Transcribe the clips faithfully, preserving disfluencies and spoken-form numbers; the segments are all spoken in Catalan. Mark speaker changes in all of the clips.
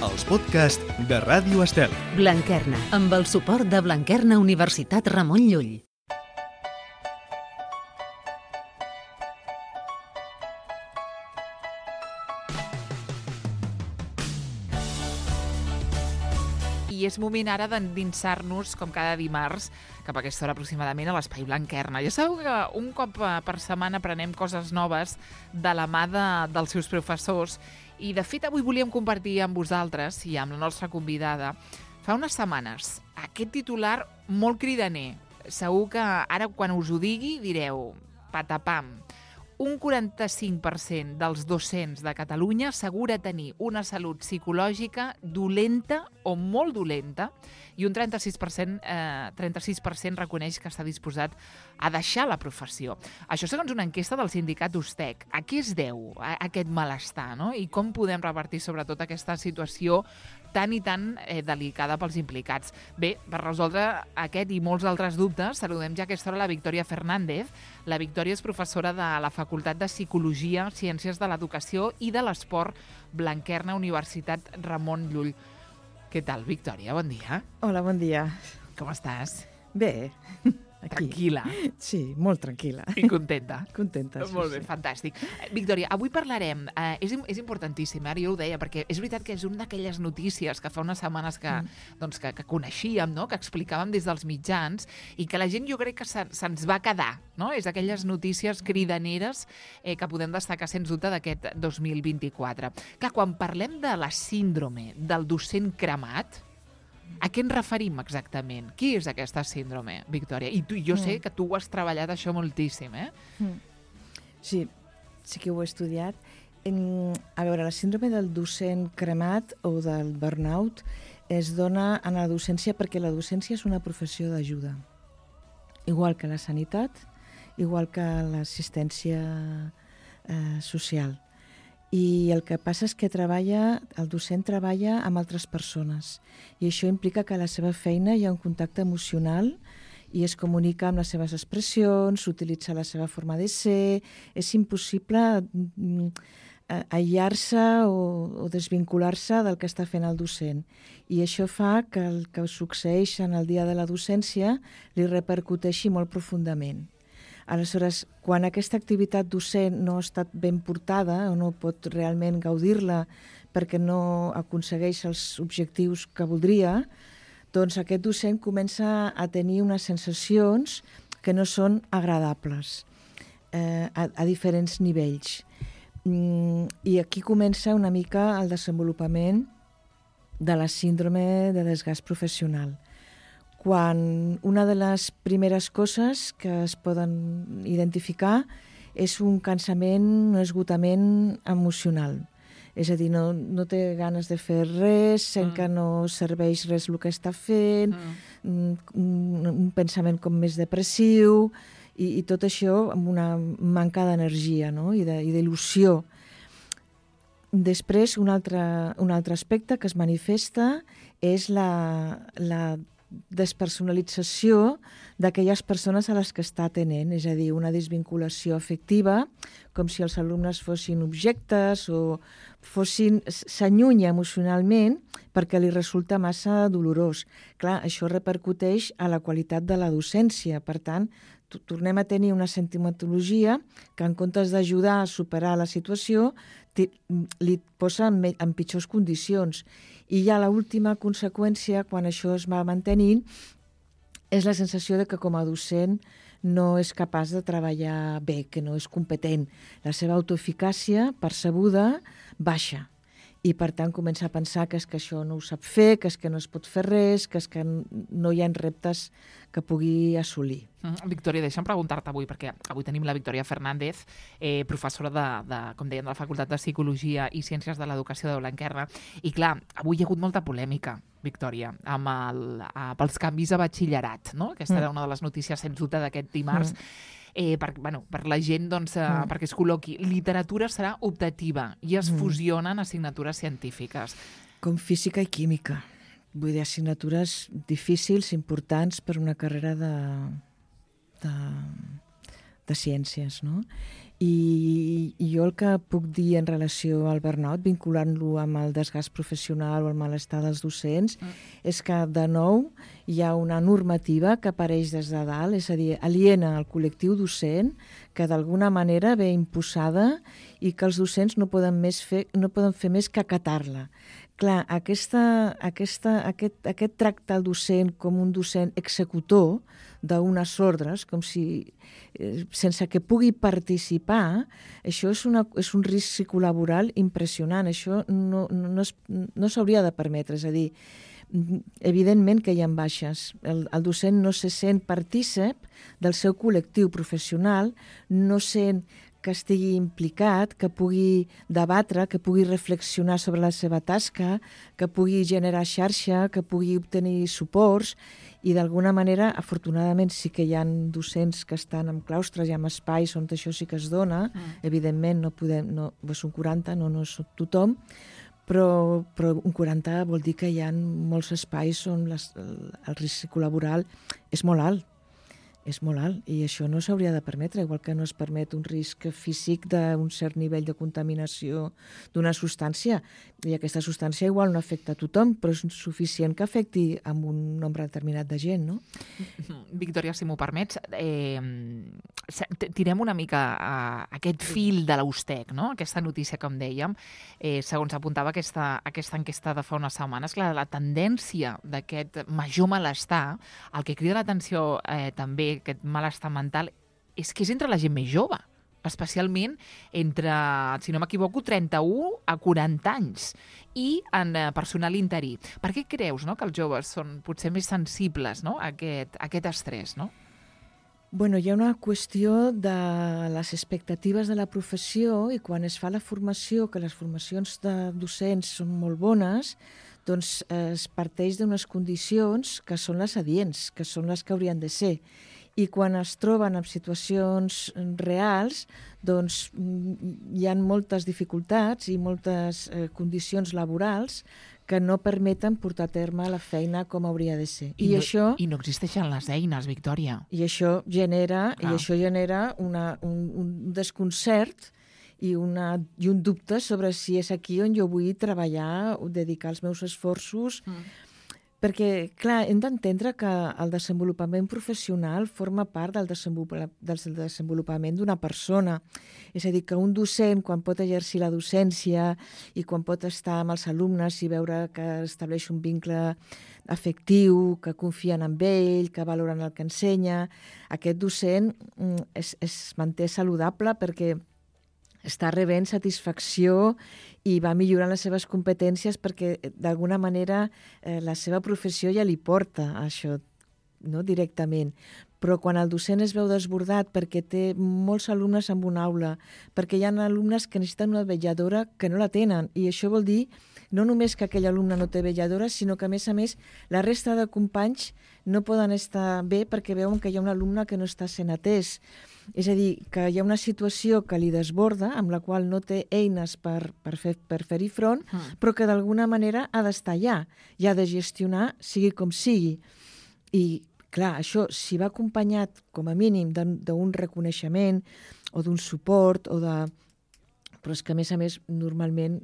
Speaker 1: els podcasts de Ràdio Estel.
Speaker 2: Blanquerna, amb el suport de Blanquerna Universitat Ramon Llull.
Speaker 3: I és moment ara d'endinsar-nos, com cada dimarts, cap a aquesta hora aproximadament a l'Espai Blanquerna. Ja sabeu que un cop per setmana aprenem coses noves de la mà de, dels seus professors i, de fet, avui volíem compartir amb vosaltres i amb la nostra convidada fa unes setmanes aquest titular molt cridaner. Segur que ara, quan us ho digui, direu patapam. Un quaranta-cinc per cent dels docents de Catalunya assegura tenir una salut psicològica dolenta o molt dolenta i un trenta-sis per cent, eh, trenta-sis per cent reconeix que està disposat a deixar la professió. Això segons una enquesta del sindicat Ustec. A què es deu a aquest malestar, no? I com podem revertir sobretot aquesta situació tan i tan eh, delicada pels implicats? Bé, per resoldre aquest i molts altres dubtes, saludem ja a aquesta hora la Victòria Fernández. La Victòria és professora de la Facultat de Psicologia, Ciències de l'Educació i de l'Esport Blanquerna, Universitat Ramon Llull. Què tal, Victòria? Bon dia.
Speaker 4: Hola, bon dia.
Speaker 3: Com estàs?
Speaker 4: Bé, aquí.
Speaker 3: Tranquil·la.
Speaker 4: Sí, molt tranquil·la.
Speaker 3: I contenta.
Speaker 4: Contenta, sí.
Speaker 3: Molt bé,
Speaker 4: sí.
Speaker 3: fantàstic. Victòria, avui parlarem, eh, és, és importantíssim, ara jo ho deia, perquè és veritat que és una d'aquelles notícies que fa unes setmanes que, mm. doncs, que, que coneixíem, no? Que explicàvem des dels mitjans, i que la gent jo crec que se'ns se va quedar, no? És aquelles notícies cridaneres eh, que podem destacar sens dubte d'aquest dos mil vint-i-quatre. Que quan parlem de la síndrome del docent cremat, a què ens referim exactament? Què és aquesta síndrome, Victòria? I tu, jo sé que tu ho has treballat això moltíssim, eh?
Speaker 4: Sí, sí que ho he estudiat. En, a veure, la síndrome del docent cremat o del burnout es dona en la docència perquè la docència és una professió d'ajuda. Igual que la sanitat, igual que l'assistència eh, social. I el que passa és que treballa, el docent treballa amb altres persones i això implica que a la seva feina hi ha un contacte emocional i es comunica amb les seves expressions, utilitza la seva forma de ser. És impossible aïllar-se o, o desvincular-se del que està fent el docent. I això fa que el que succeeix en el dia de la docència li repercuteixi molt profundament. Aleshores, quan aquesta activitat docent no ha estat ben portada o no pot realment gaudir-la perquè no aconsegueix els objectius que voldria, doncs aquest docent comença a tenir unes sensacions que no són agradables eh, a, a diferents nivells. Mm, I aquí comença una mica el desenvolupament de la síndrome de desgast professional. Quan una de les primeres coses que es poden identificar és un cansament, un esgotament emocional. És a dir, no, no té ganes de fer res, sent mm. que no serveix res el que està fent, mm. un, un pensament com més depressiu, i, i tot això amb una manca d'energia, no? I d'il·lusió. Després, un altre, un altre aspecte que es manifesta és la, la despersonalització d'aquelles persones a les que està atenent, és a dir, una desvinculació afectiva, com si els alumnes fossin objectes o fossin, s'allunya emocionalment perquè li resulta massa dolorós. Clar, això repercuteix a la qualitat de la docència, per tant, tornem a tenir una sentimentologia que en comptes d'ajudar a superar la situació li posa en, en pitjors condicions. I ja l'última conseqüència, quan això es va mantenint, és la sensació de que com a docent no és capaç de treballar bé, que no és competent. La seva autoeficàcia percebuda baixa. I, per tant, comença a pensar que és que això no ho sap fer, que és que no es pot fer res, que és que no hi ha reptes que pugui assolir.
Speaker 3: Mm, Victòria, deixa'm preguntar-te avui, perquè avui tenim la Victòria Fernández, eh, professora de, de, com dèiem, de la Facultat de Psicologia i Ciències de l'Educació de Blanquerna. I, clar, avui hi ha hagut molta polèmica, Victòria, amb el, a, pels canvis a batxillerat, no? Aquesta mm. era una de les notícies, sens dubte, d'aquest dimarts. Mm. Eh, per, bueno, per la gent, doncs, eh, mm. perquè es col·loqui. Literatura serà optativa i es mm. fusionen assignatures científiques.
Speaker 4: Com física i química. Vull dir, assignatures difícils, importants per una carrera de, de, de ciències, no? I, i jo el que puc dir en relació al burnout, vinculant-lo amb el desgast professional o el malestar dels docents, mm. és que, de nou, hi ha una normativa que apareix des de dalt, és a dir, aliena al col·lectiu docent, que d'alguna manera ve imposada i que els docents no poden, més fer, no poden fer més que acatar-la. Clar, aquesta, aquesta, aquest, aquest tracte al docent com un docent executor d'unes ordres, com si eh, sense que pugui participar, això és, una, és un risc psicolaboral impressionant. Això no, no, no, es, no s'hauria de permetre. És a dir, evidentment que hi ha baixes. El, el docent no se sent partícip del seu col·lectiu professional, no sent que estigui implicat, que pugui debatre, que pugui reflexionar sobre la seva tasca, que pugui generar xarxa, que pugui obtenir suports, i d'alguna manera, afortunadament, sí que hi ha docents que estan en claustres i en espais on això sí que es dona. Mm. Evidentment, no podem, no, són quaranta, no, no és tothom, però, però un quaranta vol dir que hi ha molts espais on les, el, el risc psicolaboral és molt alt. És molt alt, i això no s'hauria de permetre, igual que no es permet un risc físic d'un cert nivell de contaminació d'una substància, i aquesta substància igual no afecta a tothom, però és suficient que afecti a un nombre determinat de gent, no?
Speaker 3: Victòria, si m'ho permets, eh, tirem una mica a aquest fil de l'Eustec, no? Aquesta notícia, com dèiem, eh, segons apuntava aquesta, aquesta enquesta de fa unes setmanes, la, la tendència d'aquest major malestar, el que crida l'atenció eh, també, aquest malestar mental, és que és entre la gent més jove, especialment entre, si no m'equivoco, trenta-u a quaranta anys, i en personal interí. Per què creus, no?, que els joves són potser més sensibles, no?, a aquest, a aquest estrès, no?
Speaker 4: Bueno, hi ha una qüestió de les expectatives de la professió, i quan es fa la formació, que les formacions de docents són molt bones, doncs es parteix d'unes condicions que són les adients, que són les que haurien de ser. I quan es troben en situacions reals, doncs hi ha moltes dificultats i moltes eh, condicions laborals que no permeten portar a terme la feina com hauria de ser.
Speaker 3: I,
Speaker 4: I,
Speaker 3: no,
Speaker 4: això,
Speaker 3: i no existeixen les eines, Victòria.
Speaker 4: I això genera, i això genera una, un, un desconcert i, una, i un dubte sobre si és aquí on jo vull treballar o dedicar els meus esforços. Mm. Perquè, clar, hem d'entendre que el desenvolupament professional forma part del desenvolupament d'una persona. És a dir, que un docent, quan pot exercir la docència i quan pot estar amb els alumnes i veure que estableix un vincle afectiu, que confien en ell, que valoren el que ensenya, aquest docent es, es manté saludable perquè està rebent satisfacció i va millorant les seves competències perquè, d'alguna manera, eh, la seva professió ja li porta això, no?, directament. Però quan el docent es veu desbordat perquè té molts alumnes en una aula, perquè hi ha alumnes que necessiten una vetlladora que no la tenen, i això vol dir no només que aquell alumne no té vetlladora, sinó que, a més a més, la resta de companys no poden estar bé perquè veuen que hi ha un alumne que no està sent atès. És a dir, que hi ha una situació que li desborda, amb la qual no té eines per, per, fer, per fer-hi front, mm. però que d'alguna manera ha d'estar allà i ha de gestionar, sigui com sigui. I, clar, això, si va acompanyat, com a mínim, d'un reconeixement o d'un suport, o de... però és que, a més a més, normalment,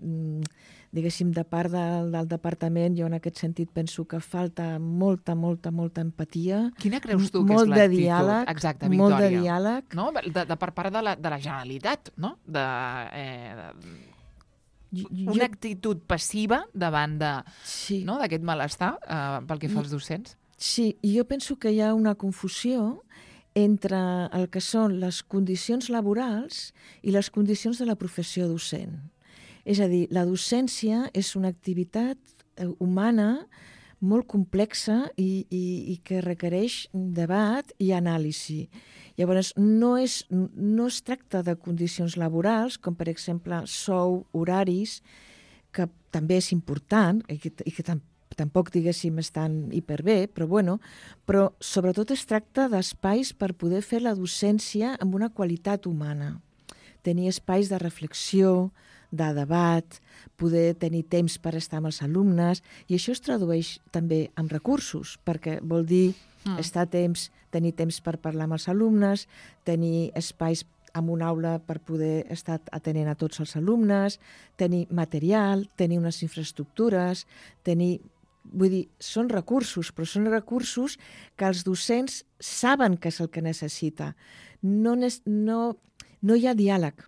Speaker 4: diguéssim, de part del, del departament, jo en aquest sentit penso que falta molta, molta, molta empatia.
Speaker 3: Quina creus tu que és l'actitud? Exacte, Victòria.
Speaker 4: Molt de diàleg.
Speaker 3: No? De, de per part de la, de la Generalitat, no? De, eh, de, una jo... actitud passiva davant de, sí. no? d'aquest malestar eh, pel que fa als docents.
Speaker 4: Sí, i jo penso que hi ha una confusió entre el que són les condicions laborals i les condicions de la professió docent. És a dir, la docència és una activitat humana molt complexa i, i, i que requereix debat i anàlisi. Llavors, no es, no es tracta de condicions laborals, com per exemple sou, horaris, que també és important i que, i que tampoc tampoc, diguéssim, estan hiperbé, però bueno, però sobretot es tracta d'espais per poder fer la docència amb una qualitat humana. Tenir espais de reflexió, de debat, poder tenir temps per estar amb els alumnes, i això es tradueix també en recursos, perquè vol dir mm. estar a temps, tenir temps per parlar amb els alumnes, tenir espais amb una aula per poder estar atenent a tots els alumnes, tenir material, tenir unes infraestructures, tenir... Vull dir, són recursos, però són recursos que els docents saben que és el que necessita. No, no, no hi ha diàleg.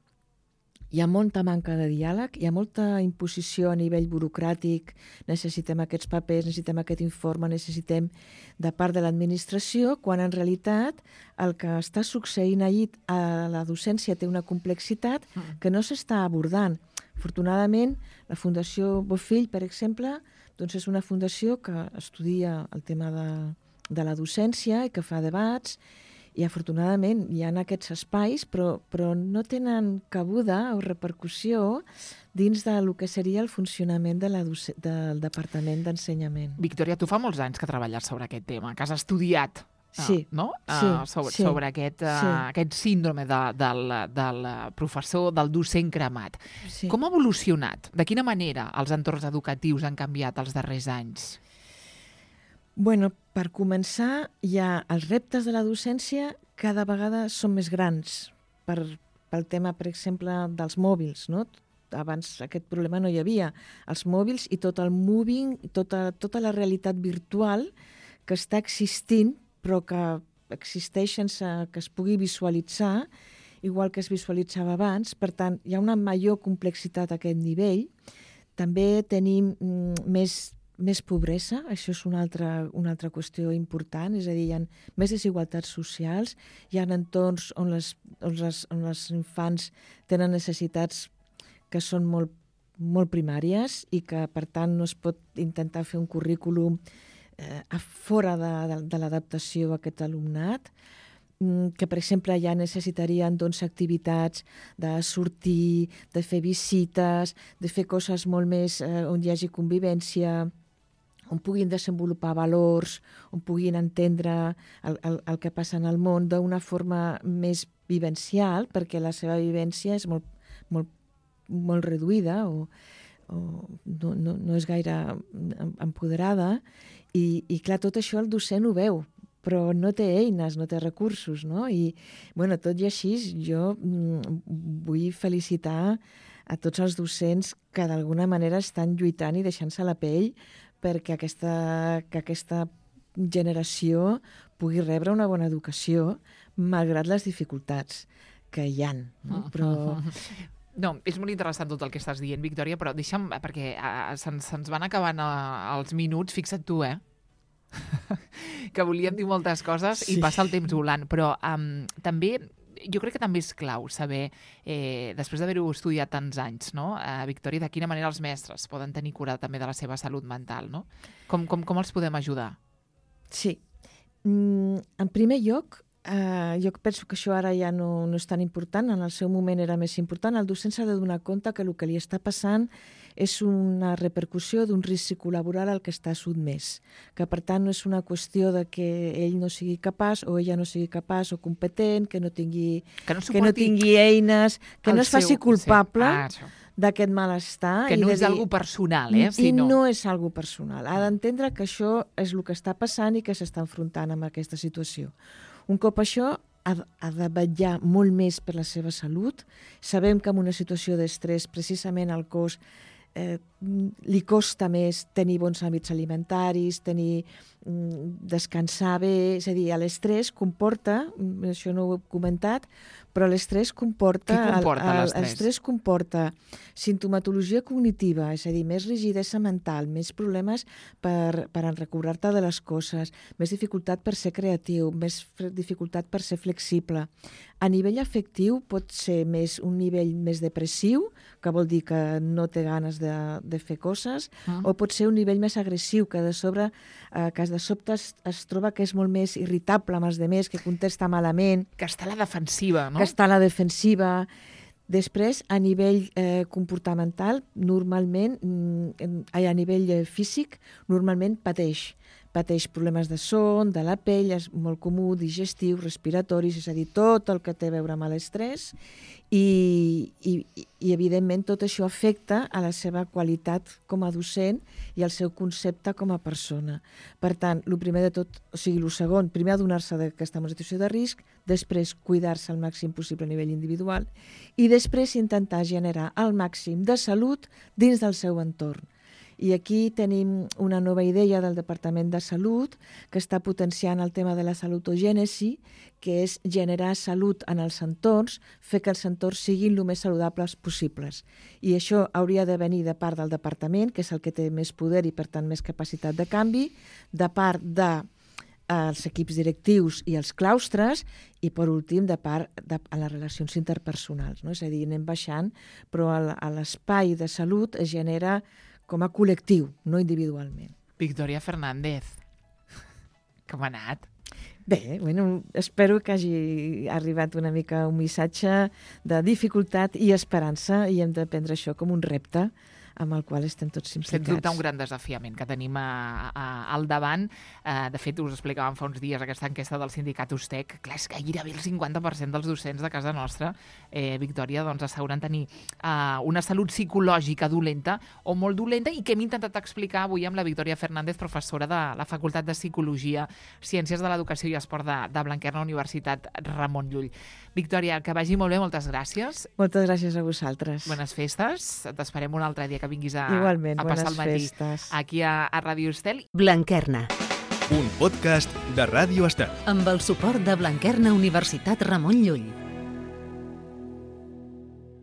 Speaker 4: Hi ha molta manca de diàleg, hi ha molta imposició a nivell burocràtic, necessitem aquests papers, necessitem aquest informe, necessitem de part de l'administració, quan en realitat el que està succeint allí a la docència té una complexitat que no s'està abordant. Afortunadament, la Fundació Bofill, per exemple, doncs és una fundació que estudia el tema de, de la docència i que fa debats, i afortunadament hi ha aquests espais, però, però no tenen cabuda o repercussió dins del que seria el funcionament de la del Departament d'Ensenyament.
Speaker 3: Victòria, tu fa molts anys que treballes sobre aquest tema, que has estudiat
Speaker 4: sí,
Speaker 3: no?
Speaker 4: sí,
Speaker 3: uh, sobre,
Speaker 4: sí,
Speaker 3: sobre aquest, uh,
Speaker 4: sí.
Speaker 3: aquest síndrome de, del, del professor, del docent cremat.
Speaker 4: Sí.
Speaker 3: Com ha evolucionat? De quina manera els entorns educatius han canviat els darrers anys?
Speaker 4: Bueno, per començar, ja els reptes de la docència cada vegada són més grans per, pel tema, per exemple, dels mòbils, no? Abans aquest problema no hi havia. Els mòbils i tot el moving, tota, tota la realitat virtual que està existint, però que existeix sense que es pugui visualitzar, igual que es visualitzava abans. Per tant, hi ha una major complexitat a aquest nivell. També tenim mm, més més pobresa, això és una altra, una altra qüestió important, és a dir, hi ha més desigualtats socials, hi ha entorns on les, on les, on les infants tenen necessitats que són molt, molt primàries i que, per tant, no es pot intentar fer un currículum eh, a fora de, de, de l'adaptació a aquest alumnat, que, per exemple, ja necessitarien doncs, activitats de sortir, de fer visites, de fer coses molt més eh, on hi hagi convivència, on puguin desenvolupar valors, on puguin entendre el, el, el que passa en el món d'una forma més vivencial, perquè la seva vivència és molt, molt, molt reduïda o, o no, no, no és gaire empoderada. I, I, clar, tot això el docent ho veu, però no té eines, no té recursos, no? I, bueno, tot i així, jo mm, vull felicitar a tots els docents que d'alguna manera estan lluitant i deixant-se la pell perquè aquesta, que aquesta generació pugui rebre una bona educació malgrat les dificultats que hi ha. No? Però...
Speaker 3: No, és molt interessant tot el que estàs dient, Victòria, però deixa'm, perquè uh, se'ns, se'ns van acabant uh, els minuts, fixa't tu, eh? que volíem dir moltes coses sí. I passa el temps volant, però um, també... Jo crec que també és clau saber, eh, després d'haver-ho estudiat tants anys, no? eh, Victòria, de quina manera els mestres poden tenir cura també de la seva salut mental, no? Com, com, com els podem ajudar?
Speaker 4: Sí. Mm, en primer lloc, eh, jo penso que això ara ja no, no és tan important, en el seu moment era més important. El docent s'ha de donar compte que el que li està passant és una repercussió d'un risc laboral al que està sotmès, que per tant no és una qüestió de que ell no sigui capaç o ella no sigui capaç o competent, que no tingui,
Speaker 3: que no,
Speaker 4: que no tingui eines, que no es faci
Speaker 3: seu,
Speaker 4: culpable
Speaker 3: sí. ah,
Speaker 4: d'aquest malestar.
Speaker 3: Que
Speaker 4: i
Speaker 3: no
Speaker 4: de
Speaker 3: és
Speaker 4: dir,
Speaker 3: algo personal, eh?
Speaker 4: I no... no és algo personal. Ha d'entendre que això és el que està passant i que s'està enfrontant amb aquesta situació. Un cop això, ha, ha de vetllar molt més per la seva salut. Sabem que en una situació d'estrès, precisament el cos eh, li costa més tenir bons hàbits alimentaris, tenir mm, descansar bé, és a dir, l'estrès comporta, això no ho he comentat, però l'estrès comporta...
Speaker 3: Què comporta
Speaker 4: el, el,
Speaker 3: l'estrès?
Speaker 4: L'estrès comporta sintomatologia cognitiva, és a dir, més rigidesa mental, més problemes per, per recordar-te de les coses, més dificultat per ser creatiu, més dificultat per ser flexible. A nivell afectiu pot ser més un nivell més depressiu, que vol dir que no té ganes de, de fer coses, mm. o pot ser un nivell més agressiu, que de sobre, eh, que de sobte es, es troba que és molt més irritable amb els demés, que contesta malament.
Speaker 3: Que està a la defensiva, no?
Speaker 4: Que està a la defensiva. Després, a nivell eh, comportamental, normalment, mm, a nivell eh, físic, normalment pateix. pateix problemes de son, de la pell, és molt comú, digestiu, respiratoris, és a dir, tot el que té a veure amb l'estrès, i, i, i evidentment tot això afecta a la seva qualitat com a docent i al seu concepte com a persona. Per tant, el primer de tot, o sigui, el segon, primer adonar-se que està en una situació de risc, després cuidar-se al màxim possible a nivell individual i després intentar generar el màxim de salut dins del seu entorn. I aquí tenim una nova idea del Departament de Salut que està potenciant el tema de la salutogènesi, que és generar salut en els entorns, fer que els entorns siguin el més saludables possibles. I això hauria de venir de part del Departament, que és el que té més poder i, per tant, més capacitat de canvi, de part de els equips directius i els claustres i, per últim, de part de a les relacions interpersonals. No? És a dir, anem baixant, però a l'espai de salut es genera com a col·lectiu, no individualment.
Speaker 3: Victòria Fernández, com ha anat?
Speaker 4: Bé, bueno, espero que hagi arribat una mica un missatge de dificultat i esperança i hem de prendre això com un repte amb el qual estem tots implicats.
Speaker 3: Sens dubte un gran desafiament que tenim a, a, al davant. Uh, de fet, us explicàvem fa uns dies aquesta enquesta del sindicat Ustec. Clar, és que gairebé el cinquanta per cent dels docents de casa nostra, eh, Victòria, doncs asseguren tenir uh, una salut psicològica dolenta o molt dolenta i que hem intentat explicar avui amb la Victòria Fernández, professora de la Facultat de Psicologia, Ciències de l'Educació i Esport de, de Blanquerna, Universitat Ramon Llull. Victòria, que vagi molt bé, moltes gràcies.
Speaker 4: Moltes gràcies a vosaltres.
Speaker 3: Bones festes. T'esperem un altre dia que vinguis a,
Speaker 4: Igualment,
Speaker 3: a passar el matí
Speaker 4: festes.
Speaker 3: aquí a, a Ràdio Estel.
Speaker 2: Blanquerna.
Speaker 1: Un podcast de Ràdio Estel.
Speaker 2: Amb el suport de Blanquerna Universitat Ramon Llull.